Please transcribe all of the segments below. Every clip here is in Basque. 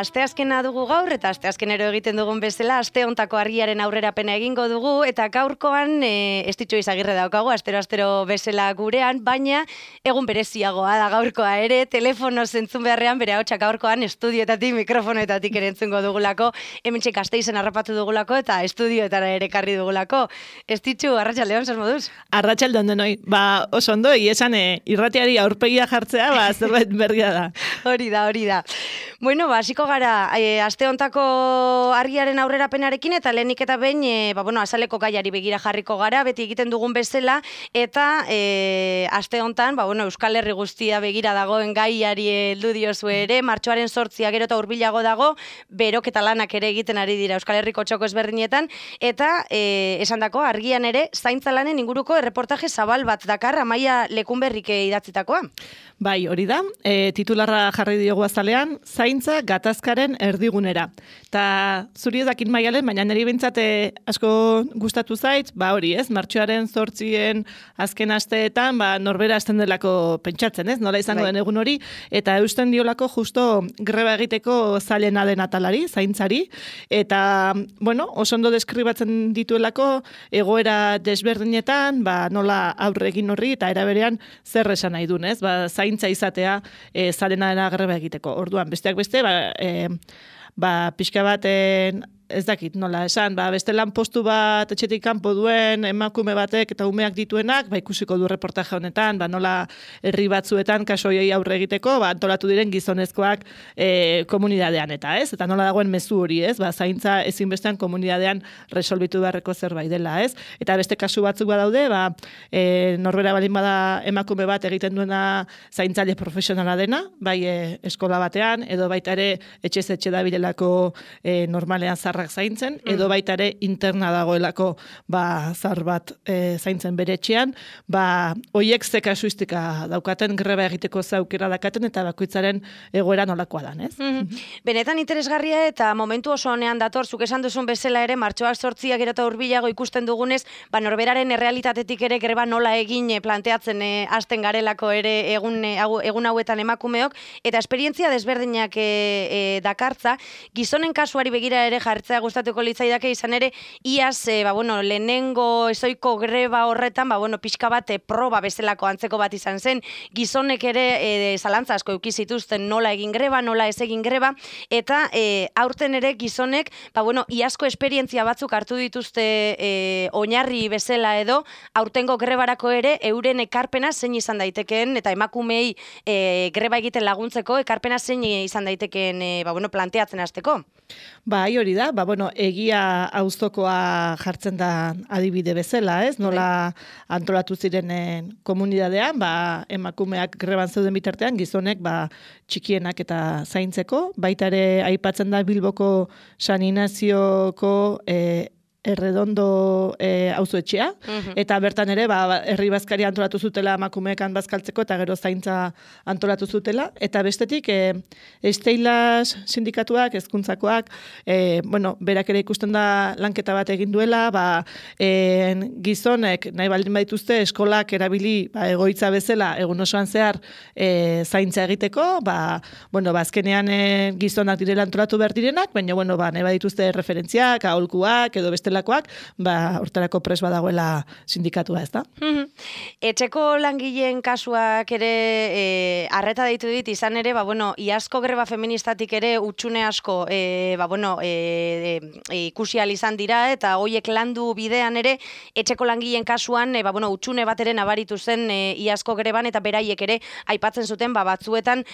Asteazkena dugu gaur, eta asteazkenero egiten dugun bezala, aste hontako argiaren aurrerapena egingo dugu, eta gaurkoan Estitxu Izagirre daukagu, astero bezala gurean, baina egun bereziagoa da gaurkoa ere, telefono zentzun beharrean, bere ahotsak gaurkoan estudioetatik, mikrofonoetatik ere entzungo dugulako, hementxe Gasteizen harrapatu dugulako, eta estudioetara ere karri dugulako. Estitxu, arratsaldeon, zer moduz? Arratsaldeon denoi, oso ondo, esan irratiari aurpegia jartzea, zerbait berria da. Hori da. Bueno, hasiko gara, aste hontako argiaren aurrerapenarekin, eta lehenik eta behin, azaleko gaiari begira jarriko gara, beti egiten dugun bezala, eta aste hontan, Euskal Herri guztia begira dagoen gaiari heldu diozu ere, martxoaren 8 gero eta hurbilago dago, beroketa lanak ere egiten ari dira Euskal Herriko txoko ezberdinetan, eta esandako argian ere, zaintza lanen inguruko erreportaje zabal bat dakar, Amaia Lekunberrik idatzitakoa. Bai, hori da, titularra jarri diogu azalean, zaintza gatazkaren erdigunera. Ta zuri edakin Maialen, baina niri bintzat asko gustatu zait, hori ez, martxoaren 8 azken asteetan, norbera hasten delako pentsatzen, ez, nola izango den egun hori, eta eusten diolako justo greba egiteko zailena den atalari, zaintzari, eta, oso ondo deskribatzen dituelako egoera desberdinetan, nola aurre egin horri, eta eraberean zer esan nahi duen, ez, zaintza izatea zalena dena greba egiteko. Orduan, besteak beste, pixka bat ez dakit nola esan, beste lan postu bat etxetik kanpo duen emakume batek eta umeak dituenak, ikusiko du reportaje honetan, nola herri batzuetan kasoiei aurre egiteko, antolatu diren gizonezkoak komunidadean eta ez, eta nola dagoen mezu hori ez, zaintza ezinbestean komunidadean resolbitu beharreko zerbait dela ez, eta beste kasu batzuk badaude, norbera balin bada emakume bat egiten duena zaintzaile profesionala dena, eskola batean, edo baita ere etxez etxe dabilelako normalean zarrak zaintzen, edo baita ere interna dagoelako zar bat zaintzen bere etxean, hoiek ze kasuistika daukaten, greba egiteko zaukera dakaten, eta bakoitzaren egoera nolakoa dan, ez? Benetan interesgarria eta momentu oso honean dator, zuk esan duzun bezala ere, martxoak 8 gero eta hurbilago ikusten dugunez, norberaren errealitatetik ere greba nola egin planteatzen hasten garelako ere egun hauetan emakumeok, eta esperientzia desberdinak dakartza, gizonen kasuari begira ere jartzea gustatuko litzaidake, izan ere, iaz, lehenengo ezoiko greba horretan, pixka bat proba bezalako antzeko bat izan zen, gizonek ere zalantza asko eduki zituzten nola egin greba, nola ez egin greba, eta aurten ere gizonek, iazko esperientzia batzuk hartu dituzte oinarri bezala edo, aurtengo grebarako ere, euren ekarpena zein izan daitekeen, eta emakumei greba egiten laguntzeko, ekarpena zein izan daitekeen planteatzen hasteko. Hori da, egia auzokoa jartzen da adibide bezala, ez? Nola antolatu zirenen komunidadean, emakumeak greban zeuden bitartean, gizonek txikienak eta zaintzeko, baita ere aipatzen da Bilboko San Inazioko Erredondo auzoetxea, eta bertan ere herri bazkari antolatu zutela emakumeekan bazkaltzeko eta gero zaintza antolatu zutela, eta bestetik Esteilas sindikatuak, hezkuntzakoak, berak ere ikusten da lanketa bat egin duela, gizonek nahi baldin badituzte eskolak erabili egoitza bezala egun osoan zehar zaintza egiteko, azkenean gizonak direla antolatu behar direnak, baina nahi badituzte referentziak, aholkuak edo beste bestelakoak, hortarako pres badagoela sindikatua, ez da? Etxeko langileen kasuak ere arreta deitu dit, izan ere, iazko greba feministatik ere utxune asko ikusi ahal izan dira, eta hoiek landu bidean ere, etxeko langileen kasuan, utxune bat ere nabaritu zen iazko greban, eta beraiek ere aipatzen zuten, batzuetan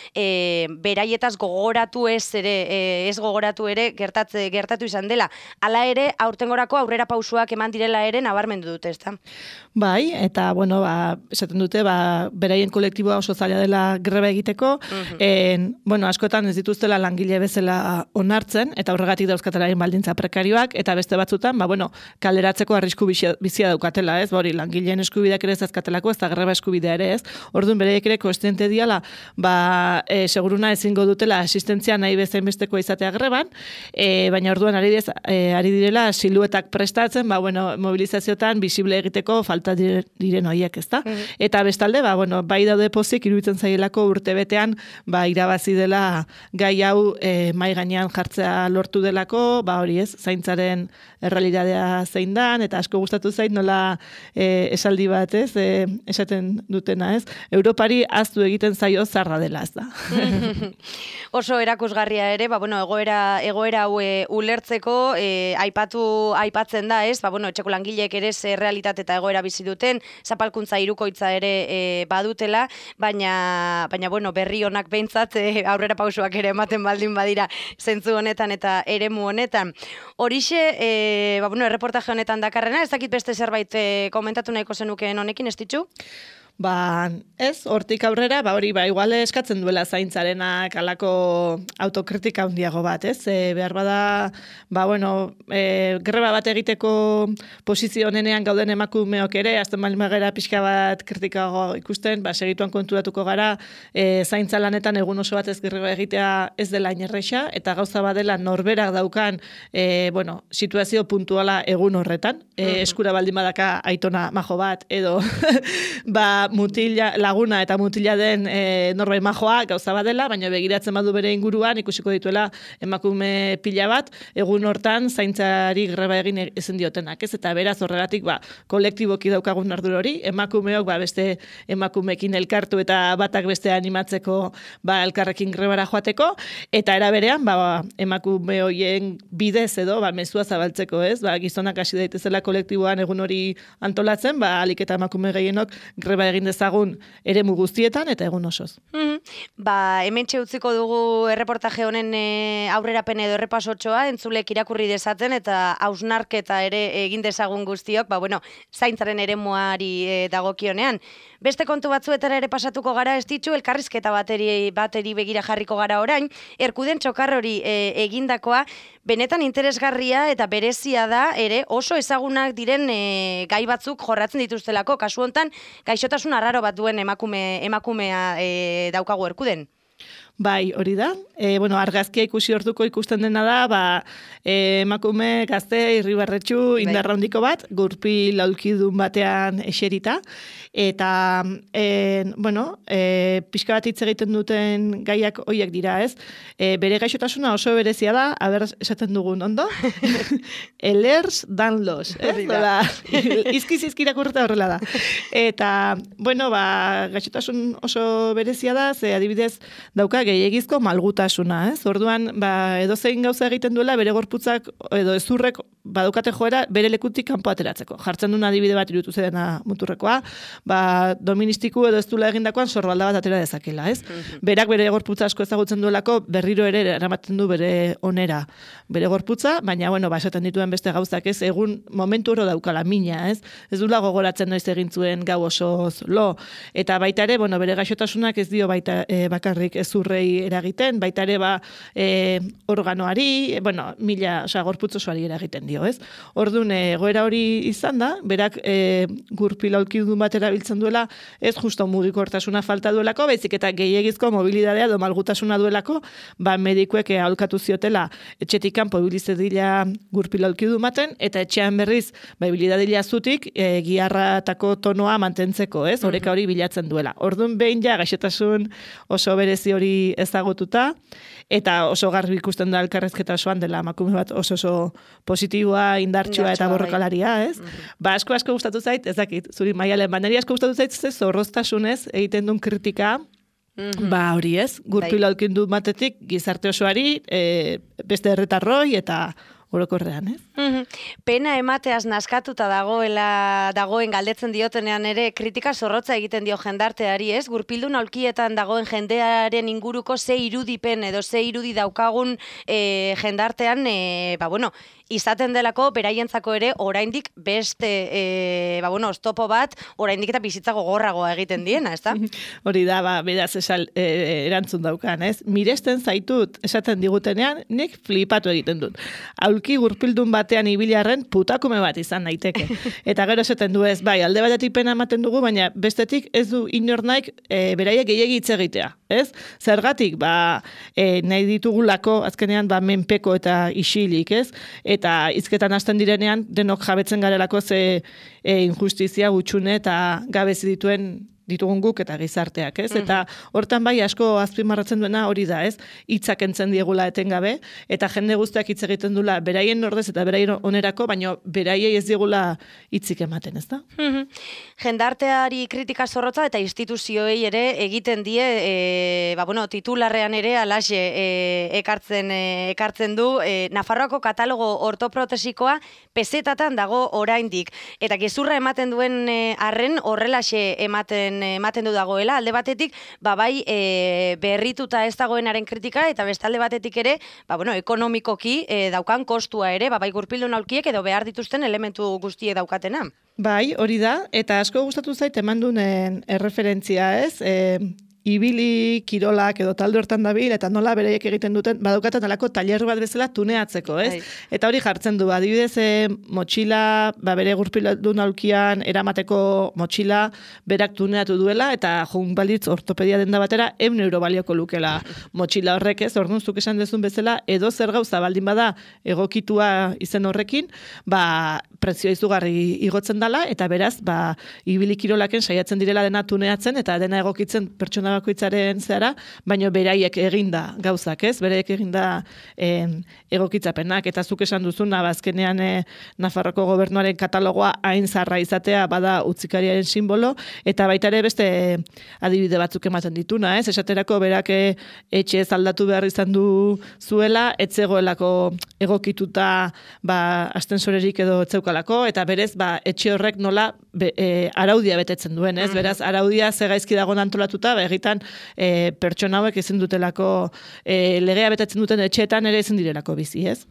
beraietaz gogoratu ez gogoratu ere gertatu izan dela. Hala ere, aurtengorako sekulako aurrera pausuak eman direla ere nabarmendu dute, ezta? Bai, eta, bueno, esaten dute, beraien kolektiboa oso zaila dela greba egiteko, bueno, askotan ez dituztela langile bezala onartzen, eta horregatik dauzkatelaien baldintza prekarioak, eta beste batzutan, bueno, kaleratzeko arrisku bizia daukatela, ez? Hori, langileen eskubideak ere ez azkatelako, ez da greba eskubidea ere, ez? Orduan, beraiek ere koestiente diala, seguruna ezingo dutela asistentzia nahi bezain bestekoa izatea greban, baina orduan ari direla siluetak prestatzen, bueno, mobilizaziotan visible egiteko falta diren horiek, ezta? Eta bestalde, bueno, bai daude pozik iruditzen zaielako urtebetean, irabazi dela gai hau mai gainean jartzea lortu delako, hori ez, zaintzaren errealitatea zein dan, eta asko gustatu zait nola esaldi bat, ez, esaten dutena, ez, Europari aztu egiten zaio zarra dela, ez da. Oso erakusgarria ere, bueno, egoera hau ulertzeko aipatzen da, ez, bueno, etxeko langileek ere ze realitate eta egoera bizi duten, zapalkuntza hirukoitza ere badutela, baina bueno, berri honak behintzat aurrera pausuak ere ematen baldin badira zentzu honetan eta eremu honetan. Horixe, bueno, erreportaje honetan dakarrena, ez dakit beste zerbait komentatu nahiko zenukeen honekin, ez ditzu? Ez, hortik aurrera, hori, igual eskatzen duela zaintzarenak alako autokritika handiago bat, ez? Behar bada, bueno, greba bat egiteko posizio honenean gauden emakumeok ere, azten magera pixka bat kritikago ikusten, segituan konturatuko gara, zaintza lanetan egun oso bat ez greba egitea ez dela inerreixa, eta gauza badela norberak daukan, bueno, situazio puntuala egun horretan, eskura baldin badaka aitona majo bat, edo, laguna eta mutila den norbait majoa gauza badela, baina begiratzen badu bere inguruan ikusiko dituela emakume pila bat, egun hortan zaintzari greba egin ezin diotenak, ez? Eta beraz horregatik kolektiboki daukagun ardura hori, emakumeok beste emakumeekin elkartu eta batak beste animatzeko elkarrekin grebara joateko, eta era berean emakume horien bidez edo mezua zabaltzeko, ez? Gizonak hasi daitezela kolektiboan egun hori antolatzen, alik eta emakume gehienok greba egin dezagun eremu guztietan eta egun osoz. Hementxe utziko dugu erreportaje honen aurrerapen edo errepasotxoa, entzulek irakurri dezaten eta hausnarketa ere egin dezagun guztiok, bueno, zaintzaren eremuari dagokionean. Beste kontu batzuetara ere pasatuko gara, ez ditzu, elkarrizketa bateri begira jarriko gara orain, Erkuden txokar hori egindakoa, benetan interesgarria eta berezia da ere oso ezagunak diren gai batzuk jorratzen dituztelako, kasu hontan gaixotasun arraro bat duen emakumea daukagu Erkuden. Bai, hori da. Bueno, argazkia ikusi orduko ikusten dena da, emakume gazte irribarretxu indarra handiko bat, gurpil aulkidun batean eserita, eta, bueno, pixka bat hitz egiten duten gaiak hoiek dira, ez? Bere gaixotasuna oso berezia da, esaten dugun, ondo? Ehlers-Danlos, ez? Izkiz irakurreta horrela da. Eta, bueno, gaixotasun oso berezia da, ze adibidez dauka gehiagizko malgutasuna, ez? Orduan, edozein gauza egiten duela, bere gorputzak edo ezurrek badukate joera bere lekutik kanpo ateratzeko. Jartzen duen adibide bat irutu zedena muturrekoa, doministiku edo ez duela egindakoan sorbalda bat atera dezakela, ez? Berak bere gorputza asko ezagutzen duelako berriro ere eramaten du bere onera bere gorputza, baina, bueno, esaten dituen beste gauzak, ez? Egun momentu oro daukala mina, ez? Ez duela gogoratzen noiz egin zuen gau osoz lo. Eta baita ere, bueno, bere gaixotasunak ez dio bakarrik ezurrei eragiten, baita ere organoari, bueno, gorputz osoari eragiten dio, ez? Orduan, egoera hori izan da, berak gurpil aulkidun bat erabiltzen duela, ez justo mugikortasuna falta duelako, baizik eta gehiegizko mobilidadea edo malgutasuna duelako, medikuek aholkatu ziotela etxetik kanpo ibilizedila gurpil aulkidun baten, eta etxean berriz, ibilidadila zutik, giharratako tonoa mantentzeko, ez? Oreka hori bilatzen duela. Orduan, behin gaixotasun oso berezi hori ezagututa, eta oso garbi ikusten da elkarrezketa osoan dela emakume bat oso positiboa, indartsua eta borrokalaria, ez? Asko gustatu zait, ez dakit, zuri Maialen, niri asko gustatu zait, zorroztasunez egiten duen kritika, hori ez, gurpil aulkidun batetik gizarte osoari, beste herritarroi eta orokorrean, ez? Pena emateaz naskatuta dagoen galdetzen diotenean ere kritika zorrotza egiten dio jendarteari, ez? Gurpildun aulkietan dagoen jendearen inguruko ze irudipen edo ze irudi daukagun jendartean, bueno, izaten delako beraientzako ere oraindik beste oztopo bat oraindik eta bizitza gogorragoa egiten diena, ezta? Hori da, beraz erantzun daukan, ez? Miresten zaitut esaten digutenean, nik flipatu egiten dut. Aulki gurpildun batean ibilarren putakume bat izan naiteke. Eta gero esaten du ez, bai, alde batetik pena ematen dugu, baina bestetik ez du inor naik beraiek gehiegi hitz egitea, ez? Zergatik, nahi ditugulako azkenean menpeko eta isilik, ez? Eta hizketan hasten direnean denok jabetzen garelako ze injustizia gutxune eta gabezi ditugun guk eta gizarteak, ez? Eta hortan bai asko azpimarratzen duena hori da, ez? Hitzak entzen diegula etengabe eta jende guztiak hitz egiten dula beraien ordez eta beraien onerako, baina beraiei ez diegula hitzik ematen, ezta? Jendarteari kritika zorrotza eta instituzioei ere egiten die titularrean ere alaxe ekartzen du Nafarroako katalogo ortoprotesikoa pesetatan dago oraindik eta gezurra ematen duen arren horrelaxe ematen du dagoela, alde batetik, berrituta ez dagoenaren kritika, eta beste alde batetik ere, ekonomikoki daukan kostua ere, bai gurpildun aulkiek edo behar dituzten elementu guztiek daukatena. Bai, hori da, eta asko gustatu zait eman duen erreferentzia, ez? Ibili kirolak edo talde hortan dabil, eta nola bereiek egiten duten, badaukaten alako tailer bat bezala tuneatzeko, ez? Eta hori jartzen du, adibidez, motxila, bere gurpildun aulkian eramateko motxila berak tuneatu duela, eta joan balitz ortopedia denda batera, €100 balioko lukela motxila horrek, ez? Orduan zuk esan dezun bezala, edo zer gauza baldin bada egokitua izen horrekin, prezioa izugarri igotzen dela, eta beraz, ibili kirolaken saiatzen direla dena tuneatzen, eta dena egokitzen pertsona bakoitzaren zehara, baina beraiek eginda gauzak, ez? Beraiek eginda egokitzapenak, eta zuk esan duzun, azkenean Nafarroko gobernuaren katalogoa hain zarra izatea bada utzikariaren simbolo, eta baita ere beste adibide batzuk ematen dituna, ez? Esaterako berak etxe ez aldatu behar izan du zuela, etzegoelako egokituta astensorerik edo etzeukalako, eta berez etxe horrek nola araudia betetzen duen, ez? Beraz, araudia ze gaizki dagoen antolatuta, egiten pertsona hauek ezin dutelako legea betetzen duten etxeetan ere ezin direlako bizi, ez?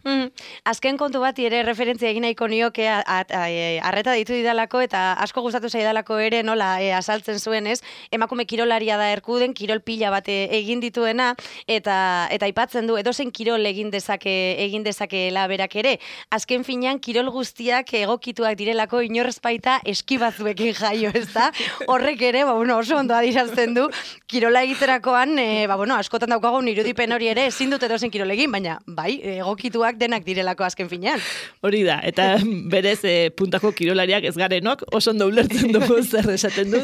Azken kontu bati ere referentzia egin nahiko nioke arreta ditu didalako eta asko gustatu zaidalako ere nola azaltzen zuen, ez? Emakume kirolaria da Erkuden, kirol pila bat egin dituena eta aipatzen du edozein kirol egin dezakeela berak ere. Azken finean kirol guztiak egokituak direlako inorrez baita eskibazuekin jaio, ezta? Horrek ere, oso ondo adirazten du kirola egiterakoan, askotan daukagun irudipen hori ere ezin dut edozein kirol egin, baina bai, egokituak denak direlako azken finean. Hori da, eta berez puntako kirolariak ez garenok, oso ondo ulertzen dugu zer esaten du,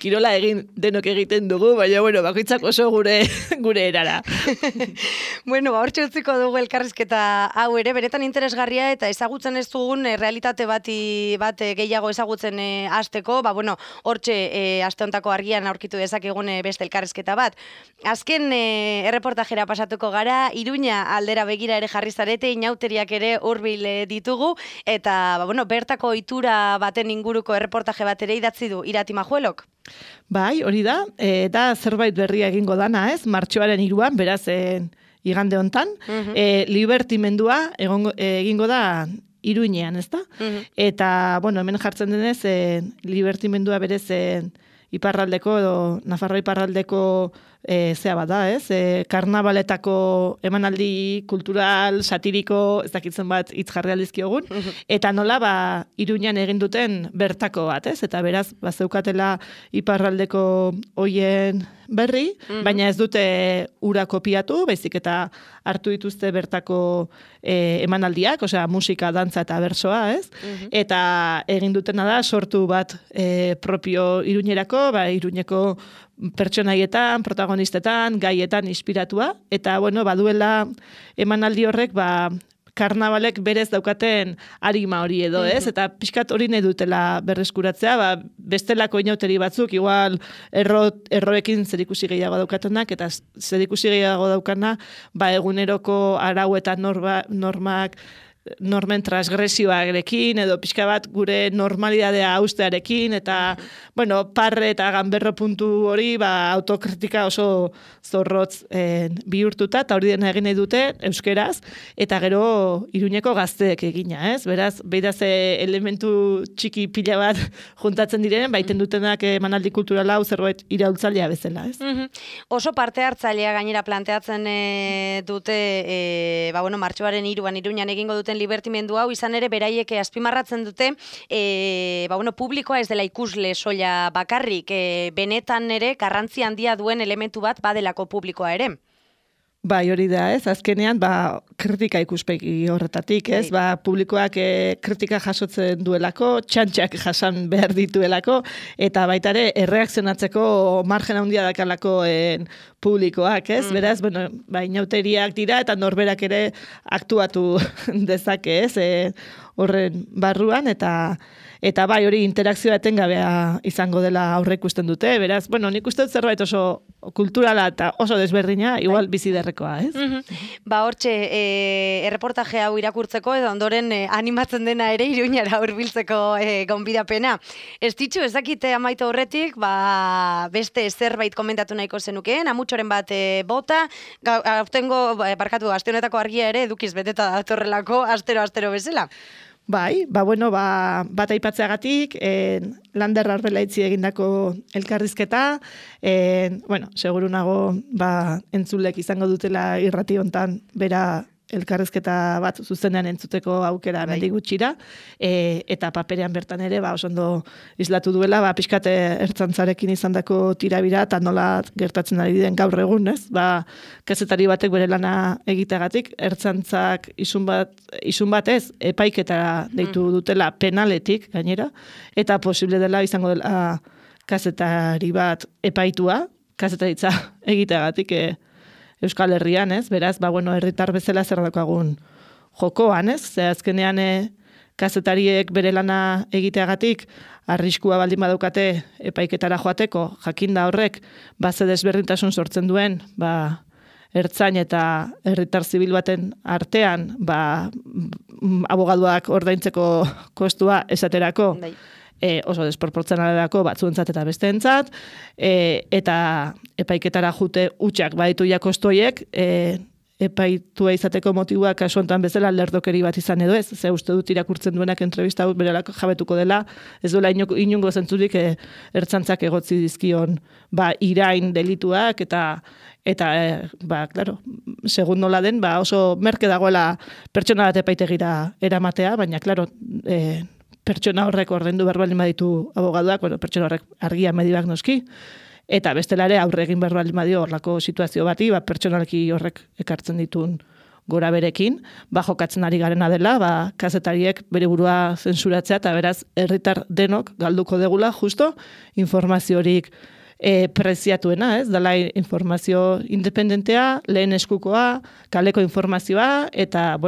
kirola denok egiten dugu, baina bakoitzak oso gure erara. Hortxe utziko dugu elkarrizketa hau ere, benetan interesgarria eta ezagutzen ez dugun realitate bat gehiago ezagutzen hasteko, hortxe aste hontako argian aurkitu dezakegun beste elkarrizketa bat. Azken erreportajera pasatuko gara, Iruña aldera begira ere jarri zarete, inauteriak ere hurbil ditugu, eta bertako ohitura baten inguruko erreportaje bat ere idatzi du Irati Majuelok. Bai, hori da, eta zerbait berria egingo dana, ez? Martxoaren 3an, beraz igande hontan, libertimendua egingo da Iruñean, ezta? Eta, hemen jartzen denez, libertimendua berez iparraldeko edo Nafarroa iparraldeko zea bat da, ez? Karnabaletako emanaldi kultural, satiriko, ez dakitzen bat hitz jarri aldizkiogun, eta nola Iruñan egin duten bertako bat, ez? Eta beraz, zeukatela iparraldeko hoien berri, baina ez dute ura kopiatu, baizik eta hartu dituzte bertako emanaldiak, osea musika, dantza eta bersoa, ez? Eta egin dutena da sortu bat propio Iruñerako, Iruñeko pertsonaietan, protagonistetan, gaietan inspiratua, eta baduela emanaldi horrek karnabalek berez daukaten arima hori edo, ez? Eta pixkat hori nahi dutela berreskuratzea, bestelako inauteri batzuk, igual erroekin zerikusi gehiago daukatenak, eta zerikusi gehiago daukana, eguneroko arau eta normak normen transgresioarekin, edo pixka bat gure normalidadea haustearekin, eta, bueno, parre eta ganberro puntu hori, autokritika oso zorrotz bihurtuta, eta hori dena egin nahi dute, euskeraz, eta gero Iruñeko gazteek egina, ez? Beraz, beidaz elementu txiki pila bat juntatzen diren, baiten dutenak emanaldi kulturala hau zerbait iraultzailea bezala, ez? Oso parte hartzailea gainera planteatzen dute, martxoaren 3an Iruñan egingo duten libertimendu hau, izan ere beraiek azpimarratzen dute, publikoa ez dela ikusle soila bakarrik, benetan ere garrantzi handia duen elementu bat badelako publikoa ere. Bai, hori da, ez? Azkenean, kritika ikuspegi horretatik, ez? Publikoak kritika jasotzen duelako, txantxak jasan behar dituelako, eta baita ere, erreakzionatzeko margen handia dakalako publikoak, ez? Beraz, inauteriak dira, eta norberak ere aktuatu dezake, ez? Horren barruan, eta bai hori interakzioa etengabea izango dela aurre ikusten dute, beraz, nik uste dut zerbait oso kulturala eta oso desberdina, igual bizi derrekoa, ez? Hortxe, erreportaje hau irakurtzeko, edo ondoren animatzen dena ere Iruñara hurbiltzeko gonbidapena. Ez ditxu, ez dakite amaitu horretik, beste zerbait komentatu nahiko zenukeen, amutxoren bat bota, aste honetako argia ere edukiz beteta datorrelako, astero bezala. Bai, bat aipatzeagatik, Lander Arbelaitzi egindako elkarrizketa, seguru nago, entzulek izango dutela irrati hontan bera elkarrizketa bat zuzenean entzuteko aukera mendi gutxira, eta paperean bertan ere, oso ondo islatu duela, pixkate ertzantzarekin izandako tirabira, eta nola gertatzen ari den gaur egun, ez? Kazetari batek bere lana egiteagatik, ertzantzak isun bat ez, epaiketara deitu dutela penaletik, gainera, eta posible dela izango dela kazetari bat epaitua, kazetaritza egiteagatik, Euskal Herrian, ez? Beraz, herritar bezala zer daukagun jokoan, ez? Ze azkenean kazetariek bere lana egiteagatik arriskua baldin badaukate epaiketara joateko, jakinda horrek ze desberdintasun sortzen duen, ertzain eta herritar zibil baten artean, abogaduak ordaintzeko kostua esaterako, oso desproportzionalako batzuentzat eta besteentzat, eta epaiketara jute utxak baditu kostoiek, epaitua izateko motiboa kasu honetan bezala lerdokeri bat izan edo ez, ze uste dut irakurtzen duenak entrevista hau berelako jabetuko dela, ez duela inungo zentzurik ertzantzak egotzi dizkion irain delituak, eta claro, segun nola den, oso merke dagoela pertsona bat epaitegira eramatea, baina, claro, pertsona horrek ordaindu behar baldin baditu abogaduak, pertsona horrek argia medibak noski, eta bestela ere aurre egin behar baldin badio horlako situazio bati, pertsonalki horrek ekartzen ditun gora berekin, jokatzen ari garena dela, kazetariek bere burua zensuratzea, eta beraz, herritar denok galduko degula, justo, informaziorik preziatuena, ez? Dala informazio independentea, lehen eskukoa, kaleko informazioa, eta,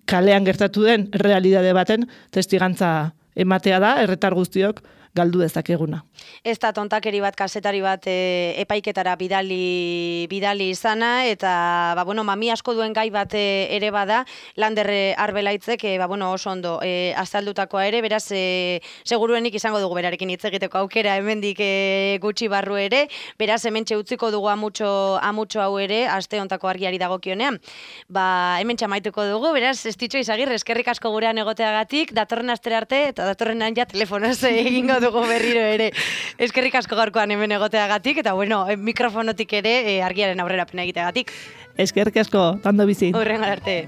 kalean gertatu den realidade baten testigantza ematea da, herritar guztiok galdu dezakeguna. Ez da tontakeri bat, kazetari bat epaiketara bidali izana, eta mami asko duen gai bat ere bada, Lander Arbelaitzek, oso ondo azaldutakoa ere, beraz, seguruenik izango dugu berarekin hitz egiteko aukera hemendik gutxi barru ere, beraz, hementxe utziko dugu amutxo hau ere, aste hontako argiari dagokionean. Hementxe amaituko dugu, beraz, ez ditxo Izagirre, eskerrik asko gurean egoteagatik, datorren astera arte, eta datorrenan ja telefonoz egingo dugu berriro ere. Eskerrik asko gaurkoan hemen egoteagatik, eta mikrofonotik ere argiaren aurrerapena egiteagatik. Eskerrik asko, tando bizi. Horren arte.